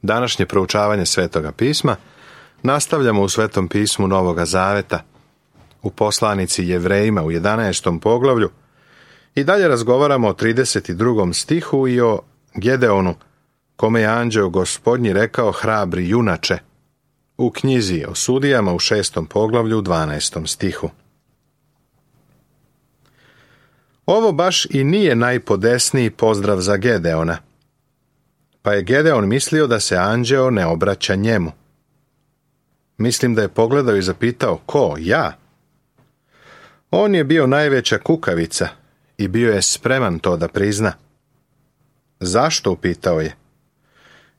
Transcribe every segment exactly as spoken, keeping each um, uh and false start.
Današnje proučavanje Svetoga pisma nastavljamo u Svetom pismu Novoga Zaveta, u poslanici Jevrejima u jedanaestom poglavlju i dalje razgovaramo o trideset drugom stihu i o Gedeonu, kome je anđeo Gospodnji rekao: hrabri junače, u knjizi o sudijama u šestom poglavlju u dvanaestom stihu. Ovo baš i nije najpodesniji pozdrav za Gedeona, pa je Gedeon mislio da se anđeo ne obraća njemu. Mislim da je pogledao i zapitao: ko, ja? On je bio najveća kukavica i bio je spreman to da prizna. Zašto, upitao je.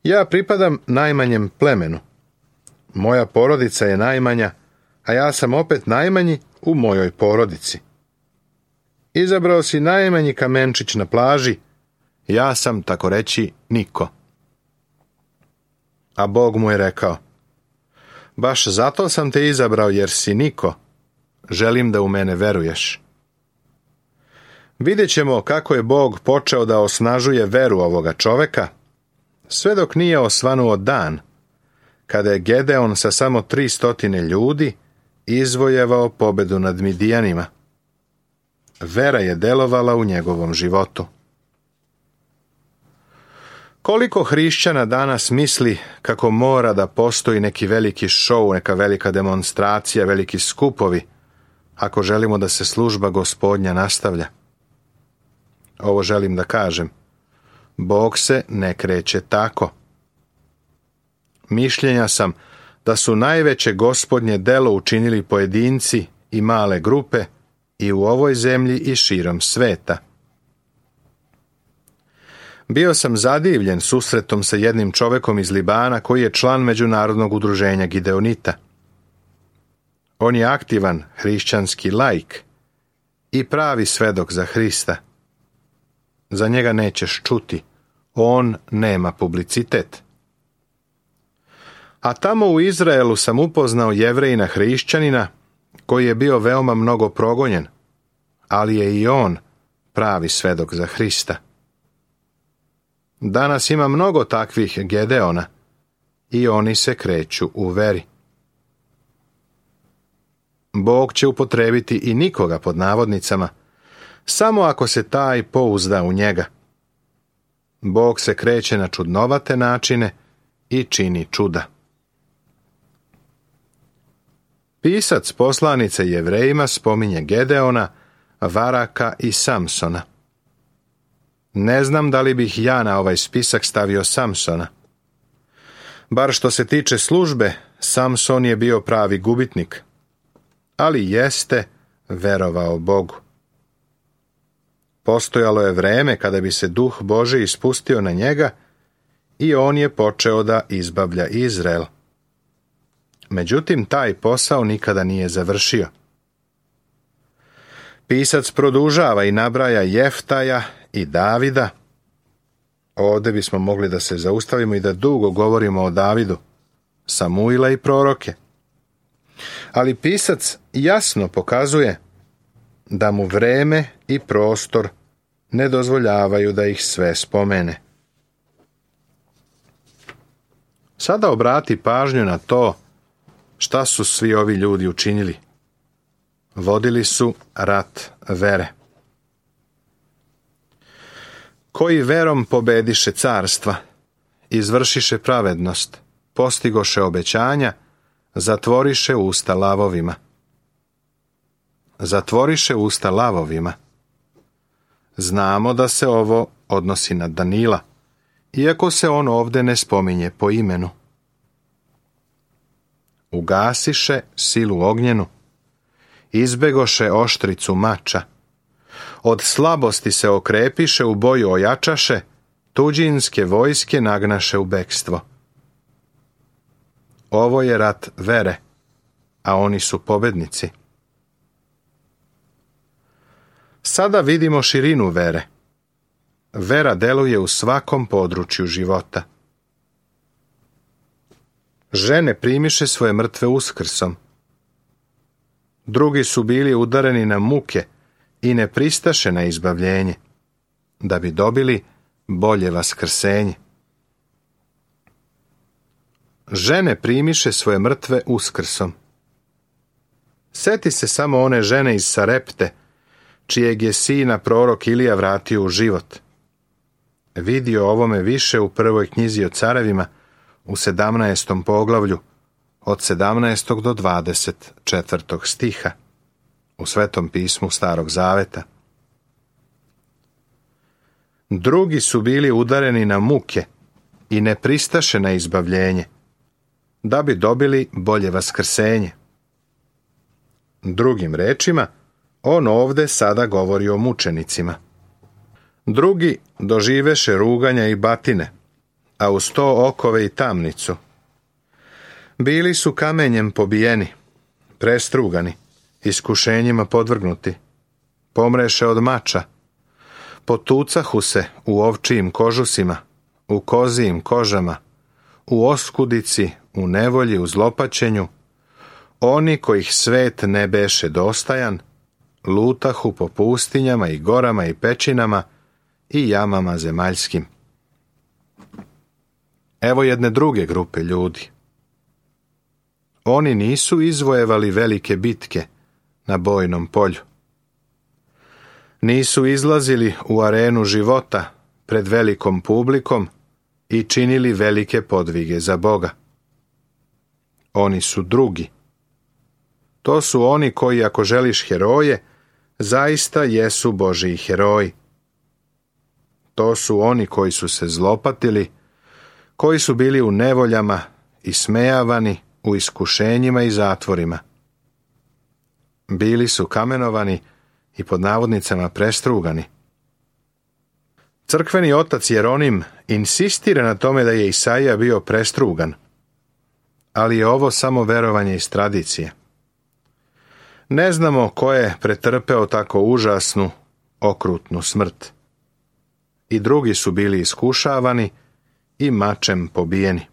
Ja pripadam najmanjem plemenu. Moja porodica je najmanja, a ja sam opet najmanji u mojoj porodici. Izabrao si najmanji kamenčić na plaži, ja sam, tako reći, niko. A Bog mu je rekao: baš zato sam te izabrao, jer si niko. Želim da u mene veruješ. Vidjet ćemo kako je Bog počeo da osnažuje veru ovoga čoveka, sve dok nije osvanuo dan, kada je Gedeon sa samo tri stotine ljudi izvojevao pobedu nad Midijanima. Vera je delovala u njegovom životu. Koliko hrišćana danas misli kako mora da postoji neki veliki šou, neka velika demonstracija, veliki skupovi, ako želimo da se služba Gospodnja nastavlja? Ovo želim da kažem. Bog se ne kreće tako. Mišljenja sam da su najveće Gospodnje delo učinili pojedinci i male grupe i u ovoj zemlji i širom sveta. Bio sam zadivljen susretom sa jednim čovekom iz Libana koji je član Međunarodnog udruženja Gideonita. On je aktivan hrišćanski laik i pravi svedok za Hrista. Za njega nećeš čuti, on nema publicitet. A tamo u Izraelu sam upoznao Jevrejina hrišćanina koji je bio veoma mnogo progonjen, ali je i on pravi svedok za Hrista. Danas ima mnogo takvih Gedeona i oni se kreću u veri. Bog će upotrebiti i nikoga pod navodnicama, samo ako se taj pouzda u njega. Bog se kreće na čudnovate načine i čini čuda. Pisac poslanice Jevrejima spominje Gedeona, Varaka i Samsona. Ne znam da li bih ja na ovaj spisak stavio Samsona. Bar što se tiče službe, Samson je bio pravi gubitnik, ali jeste verovao Bogu. Postojalo je vreme kada bi se duh Božji ispustio na njega i on je počeo da izbavlja Izrael. Međutim, taj posao nikada nije završio. Pisac produžava i nabraja Jeftaja i Davida. Ovdje bismo mogli da se zaustavimo i da dugo govorimo o Davidu, Samuila i proroke. Ali pisac jasno pokazuje da mu vreme i prostor ne dozvoljavaju da ih sve spomene. Sada obrati pažnju na to šta su svi ovi ljudi učinili. Vodili su rat vere. Koji verom pobediše carstva, izvršiše pravednost, postigoše obećanja, zatvoriše usta lavovima. Zatvoriše usta lavovima. Znamo da se ovo odnosi na Danila, iako se on ovdje ne spominje po imenu. Ugasiše silu ognjenu, izbegoše oštricu mača, od slabosti se okrepiše, u boju ojačaše, tuđinske vojske nagnaše u bekstvo. Ovo je rat vere, a oni su pobednici. Sada vidimo širinu vere. Vera deluje u svakom području života. Žene primiše svoje mrtve uskrsom. Drugi su bili udareni na muke i ne pristaše na izbavljenje, da bi dobili bolje vaskrsenje. žene primiše svoje mrtve uskrsom. Seti se samo one žene iz Sarepte, čijeg je sina prorok Ilija vratio u život. Vidio ovome više u prvoj knjizi o carevima, u sedamnaestom poglavlju, od sedamnaestog do dvadeset četvrtog stiha, u Svetom pismu Starog zaveta. Drugi su bili udareni na muke i ne pristaše na izbavljenje, da bi dobili bolje vaskrsenje. Drugim rečima, on ovde sada govori o mučenicima. Drugi doživeše ruganja i batine, a uz to okove i tamnicu. Bili su kamenjem pobijeni, prestrugani, iskušenjima podvrgnuti, pomreše od mača, potucahu se u ovčijim kožusima, u kozijim kožama, u oskudici, u nevolji, u zlopaćenju, oni kojih svet ne beše dostajan, lutahu po pustinjama i gorama i pećinama i jamama zemaljskim. Evo jedne druge grupe ljudi. Oni nisu izvojevali velike bitke na bojnom polju. Nisu izlazili u arenu života pred velikom publikom i činili velike podvige za Boga. Oni su drugi. To su oni koji, ako želiš heroje, zaista jesu Božiji heroji. To su oni koji su se zlopatili, koji su bili u nevoljama i smejavani, u iskušenjima i zatvorima. Bili su kamenovani i pod navodnicama prestrugani. Crkveni otac Jeronim insistira na tome da je Isaija bio prestrugan, ali je ovo samo verovanje iz tradicije. Ne znamo ko je pretrpeo tako užasnu, okrutnu smrt. I drugi su bili iskušavani i mačem pobijeni.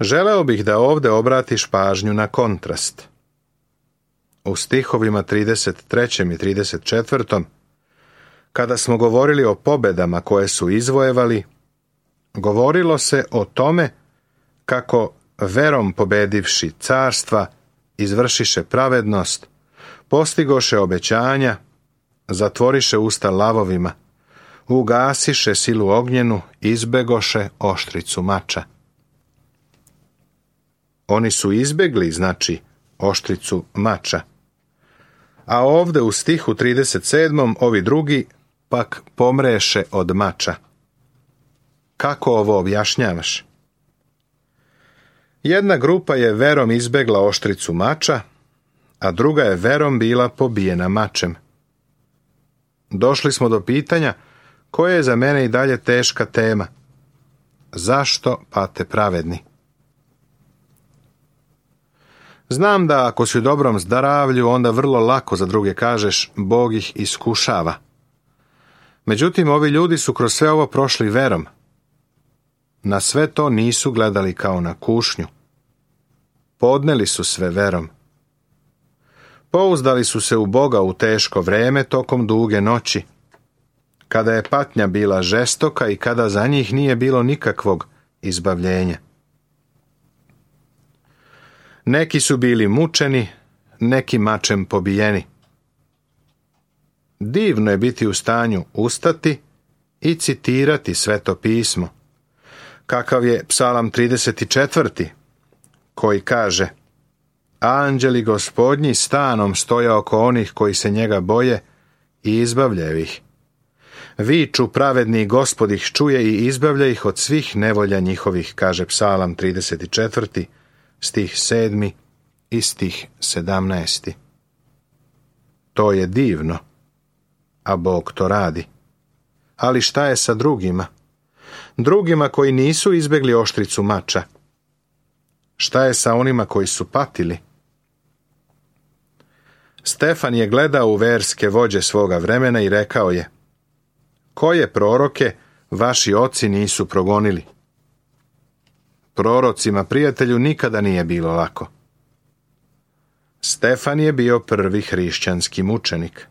Želeo bih da ovde obratiš pažnju na kontrast. U stihovima trideset trećem i trideset četvrtom, kada smo govorili o pobedama koje su izvojevali, govorilo se o tome kako verom pobedivši carstva, izvršiše pravednost, postigoše obećanja, zatvoriše usta lavovima, ugasiše silu ognjenu, izbegoše oštricu mača. Oni su izbegli, znači, oštricu mača. A ovde u stihu trideset sedmom ovi drugi pak pomreše od mača. Kako ovo objašnjavaš? Jedna grupa je verom izbegla oštricu mača, a druga je verom bila pobijena mačem. Došli smo do pitanja koje je za mene i dalje teška tema. Zašto pate pravedni? Znam da ako si u dobrom zdravlju, onda vrlo lako za druge kažeš Bog ih iskušava. Međutim, ovi ljudi su kroz sve ovo prošli verom. Na sve to nisu gledali kao na kušnju. Podneli su sve verom. Pouzdali su se u Boga u teško vreme tokom duge noći, kada je patnja bila žestoka i kada za njih nije bilo nikakvog izbavljenja. Neki su bili mučeni, neki mačem pobijeni. Divno je biti u stanju ustati i citirati Sveto pismo, kakav je Psalam trideset četvrti, koji kaže: Anđeli Gospodnji stanom stoje oko onih koji se njega boje i izbavljaju ih. Viču pravedni, Gospod ih čuje i izbavlja ih od svih nevolja njihovih, kaže Psalam trideset četvrti, stih sedmi i stih sedamnaesti. To je divno, a Bog to radi. Ali šta je sa drugima? Drugima koji nisu izbegli oštricu mača. Šta je sa onima koji su patili? Stefan je gledao u verske vođe svoga vremena i rekao je: koje proroke vaši oci nisu progonili? Prorocima, prijatelju, nikada nije bilo lako. Stefan je bio prvi hrišćanski mučenik.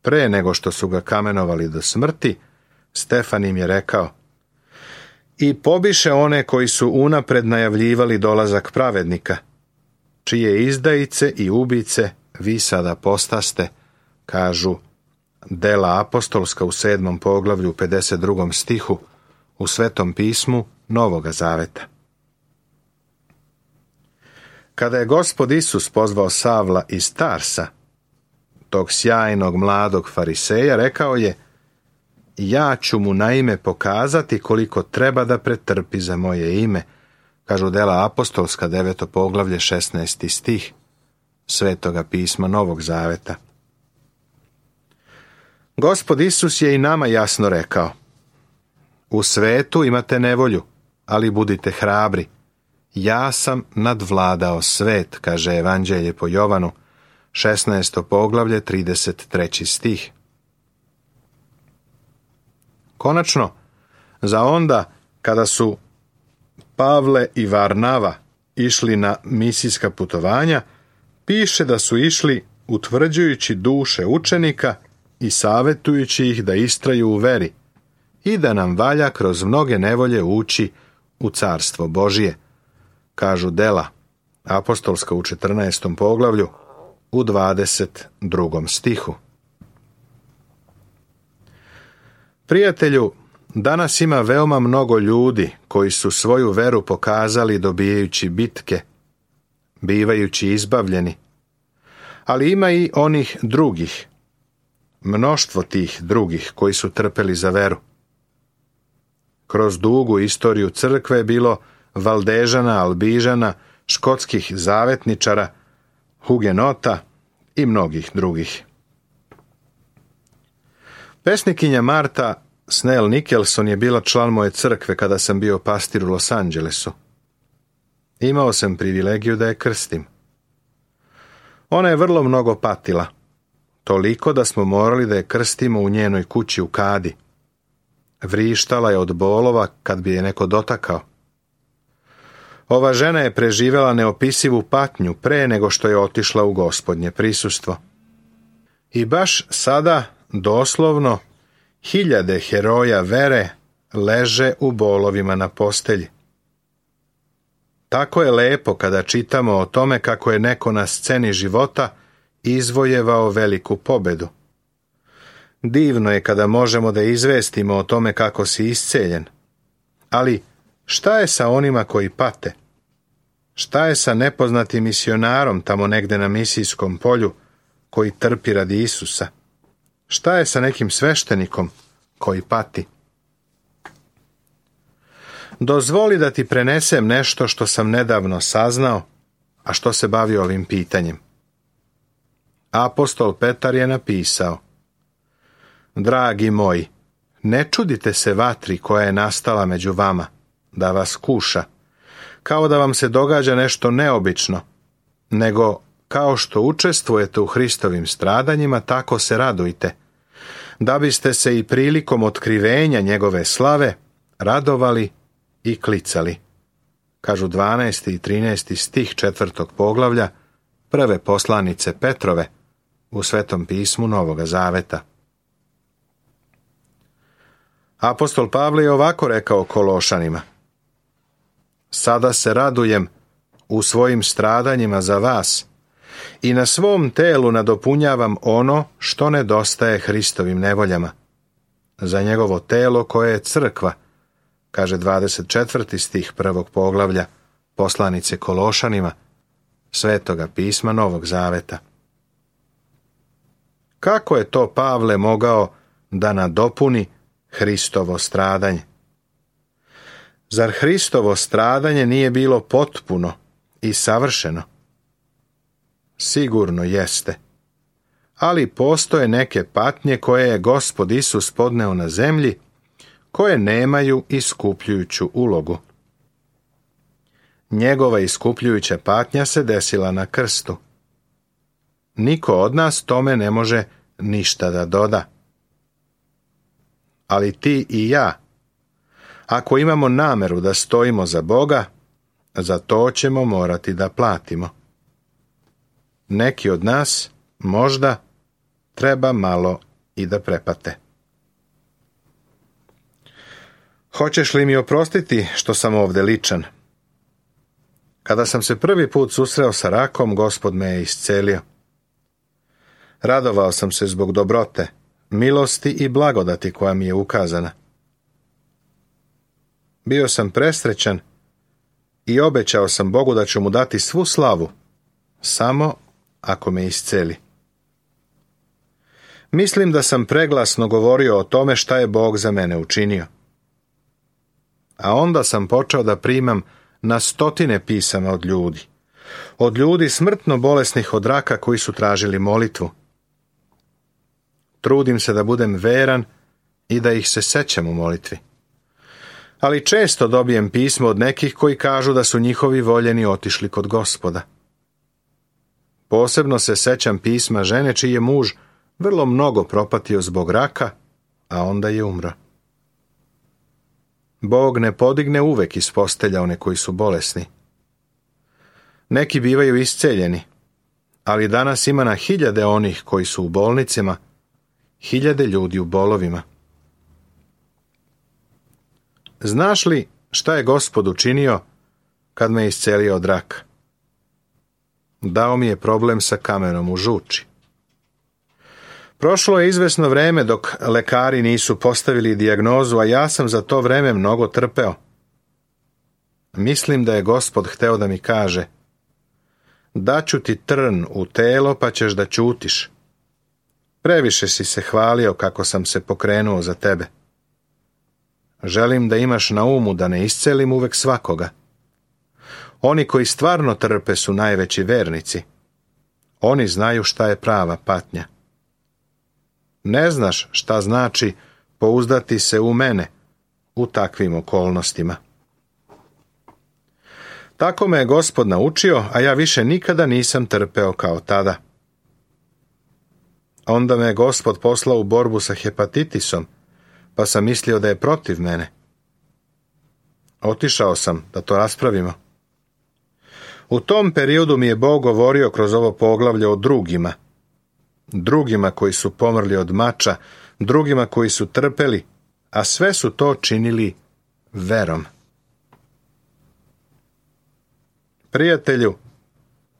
Pre nego što su ga kamenovali do smrti, Stefan im je rekao: i pobiše one koji su unapred najavljivali dolazak pravednika, čije izdajice i ubice vi sada postaste, kažu Dela apostolska u sedmom poglavlju pedeset drugom stihu u Svetom pismu Novoga Zaveta. Kada je Gospod Isus pozvao Savla iz Tarsa, tog sjajnog mladog fariseja, rekao je: ja ću mu naime pokazati koliko treba da pretrpi za moje ime, kažu Dela apostolska deveto poglavlje šesnaesti stih Svetoga pisma Novog Zaveta. Gospod Isus je i nama jasno rekao: u svetu imate nevolju, ali budite hrabri. Ja sam nadvladao svet, kaže Evanđelje po Jovanu, šesnaesto poglavlje, trideset treći stih. Konačno, za onda kada su Pavle i Varnava išli na misijska putovanja, piše da su išli utvrđujući duše učenika i savjetujući ih da istraju u veri i da nam valja kroz mnoge nevolje ući u carstvo Božije, kažu Dela apostolska u četrnaestom poglavlju u dvadeset drugom stihu. Prijatelju, danas ima veoma mnogo ljudi koji su svoju veru pokazali dobijajući bitke, bivajući izbavljeni, ali ima i onih drugih, mnoštvo tih drugih koji su trpeli za veru. Kroz dugu istoriju crkve je bilo Valdežana, Albižana, škotskih zavetničara, hugenota i mnogih drugih. Pesnikinja Marta Snell Nicholson je bila član moje crkve kada sam bio pastir u Los Angelesu. Imao sam privilegiju da je krstim. Ona je vrlo mnogo patila, toliko da smo morali da je krstimo u njenoj kući u kadi. Vrištala je od bolova kad bi je neko dotakao. Ova žena je preživjela neopisivu patnju pre nego što je otišla u Gospodnje prisustvo. I baš sada, doslovno, hiljade heroja vere leže u bolovima na postelji. Tako je lepo kada čitamo o tome kako je neko na sceni života izvojevao veliku pobedu. Divno je kada možemo da izvestimo o tome kako si isceljen. Ali šta je sa onima koji pate? Šta je sa nepoznatim misionarom tamo negde na misijskom polju koji trpi radi Isusa? Šta je sa nekim sveštenikom koji pati? Dozvoli da ti prenesem nešto što sam nedavno saznao, a što se bavi ovim pitanjem. Apostol Petar je napisao: dragi moji, ne čudite se vatri koja je nastala među vama, da vas kuša, kao da vam se događa nešto neobično, nego kao što učestvujete u Hristovim stradanjima, tako se radujte, da biste se i prilikom otkrivenja njegove slave radovali i klicali, kažu dvanaesti i trinaesti stih četvrtog poglavlja prve poslanice Petrove u Svetom pismu Novoga Zaveta. Apostol Pavle je ovako rekao Kološanima: sada se radujem u svojim stradanjima za vas i na svom telu nadopunjavam ono što nedostaje Hristovim nevoljama, za njegovo telo koje je crkva, kaže dvadeset četvrti stih prvog poglavlja poslanice Kološanima Svetoga pisma Novog Zaveta. Kako je to Pavle mogao da nadopuni Hristovo stradanje? Zar Hristovo stradanje nije bilo potpuno i savršeno? Sigurno jeste. Ali postoje neke patnje koje je Gospod Isus podneo na zemlji, koje nemaju iskupljujuću ulogu. Njegova iskupljujuća patnja se desila na krstu. Niko od nas tome ne može ništa da doda. Ali ti i ja, ako imamo nameru da stojimo za Boga, za to ćemo morati da platimo. Neki od nas možda treba malo i da prepate. Hoćeš li mi oprostiti što sam ovdje ličan? Kada sam se prvi put susreo sa rakom, Gospod me je iscelio. Radovao sam se zbog dobrote, milosti i blagodati koja mi je ukazana. Bio sam presrećan i obećao sam Bogu da ću mu dati svu slavu, samo ako me isceli. Mislim da sam preglasno govorio o tome šta je Bog za mene učinio. A onda sam počeo da primam na stotine pisama od ljudi. Od ljudi smrtno bolesnih od raka koji su tražili molitvu. Trudim se da budem veran i da ih se sećam u molitvi. Ali često dobijem pismo od nekih koji kažu da su njihovi voljeni otišli kod Gospoda. Posebno se sećam pisma žene čiji je muž vrlo mnogo propatio zbog raka, a onda je umro. Bog ne podigne uvek iz postelja one koji su bolesni. Neki bivaju isceljeni, ali danas ima na hiljade onih koji su u bolnicima, hiljade ljudi u bolovima. Znaš li šta je Gospod učinio kad me iscelio od raka? Dao mi je problem sa kamenom u žuči. Prošlo je izvesno vreme dok lekari nisu postavili dijagnozu, a ja sam za to vreme mnogo trpeo. Mislim da je Gospod hteo da mi kaže: daću ti trn u telo pa ćeš da ćutiš. Previše si se hvalio kako sam se pokrenuo za tebe. Želim da imaš na umu da ne iscelim uvek svakoga. Oni koji stvarno trpe su najveći vernici. Oni znaju šta je prava patnja. Ne znaš šta znači pouzdati se u mene u takvim okolnostima. Tako me je Gospod naučio, a ja više nikada nisam trpeo kao tada. Onda me je Gospod poslao u borbu sa hepatitisom, pa sam mislio da je protiv mene. Otišao sam da to raspravimo. U tom periodu mi je Bog govorio kroz ovo poglavlje o drugima. Drugima koji su pomrli od mača, drugima koji su trpeli, a sve su to činili verom. Prijatelju,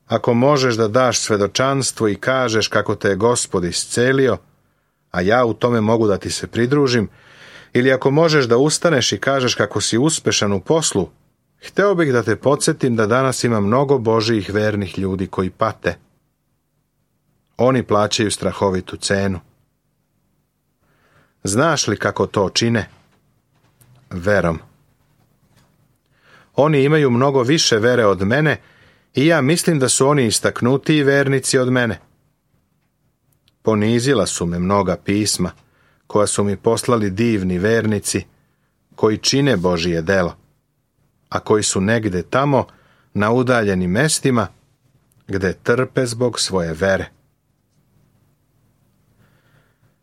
ako možeš da daš svedočanstvo i kažeš kako te je Gospod iscelio, a ja u tome mogu da ti se pridružim, ili ako možeš da ustaneš i kažeš kako si uspešan u poslu, hteo bih da te podsjetim da danas ima mnogo Božijih vernih ljudi koji pate. Oni plaćaju strahovitu cenu. Znaš li kako to čine? Verom. Oni imaju mnogo više vere od mene i ja mislim da su oni istaknutiji vernici od mene. Ponizila su me mnoga pisma, koja su mi poslali divni vernici, koji čine Božije delo, a koji su negde tamo, na udaljenim mestima, gde trpe zbog svoje vere.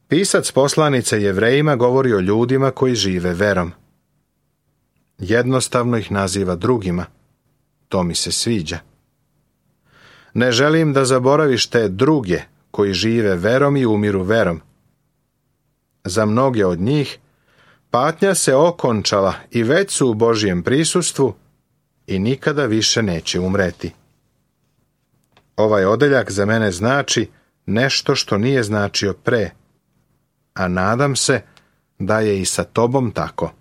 Pisac poslanice Jevrejima govori o ljudima koji žive verom. Jednostavno ih naziva drugima. To mi se sviđa. Ne želim da zaboraviš te druge koji žive verom i umiru verom. Za mnoge od njih patnja se okončala i već su u Božijem prisustvu i nikada više neće umreti. Ovaj odeljak za mene znači nešto što nije značio pre, a nadam se da je i sa tobom tako.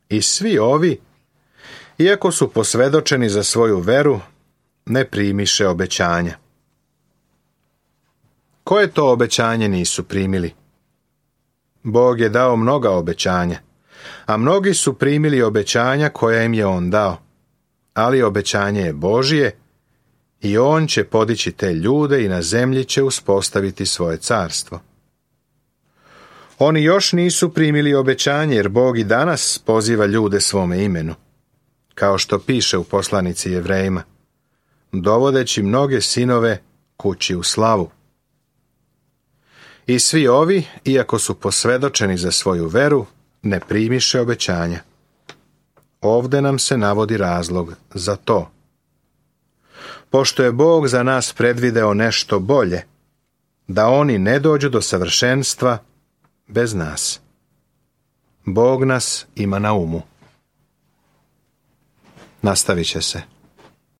I svi ovi, iako su posvedočeni za svoju veru, ne primiše obećanja. Koje to obećanje nisu primili? Bog je dao mnoga obećanja, a mnogi su primili obećanja koja im je On dao. Ali obećanje je Božije i On će podići te ljude i na zemlji će uspostaviti svoje carstvo. Oni još nisu primili obećanje, jer Bog i danas poziva ljude svome imenu, kao što piše u poslanici Jevrejima, dovodeći mnoge sinove kući u slavu. I svi ovi, iako su posvedočeni za svoju veru, ne primiše obećanja. Ovde nam se navodi razlog za to. Pošto je Bog za nas predvideo nešto bolje, da oni ne dođu do savršenstva bez nas. Bog nas ima na umu. Nastavit će se.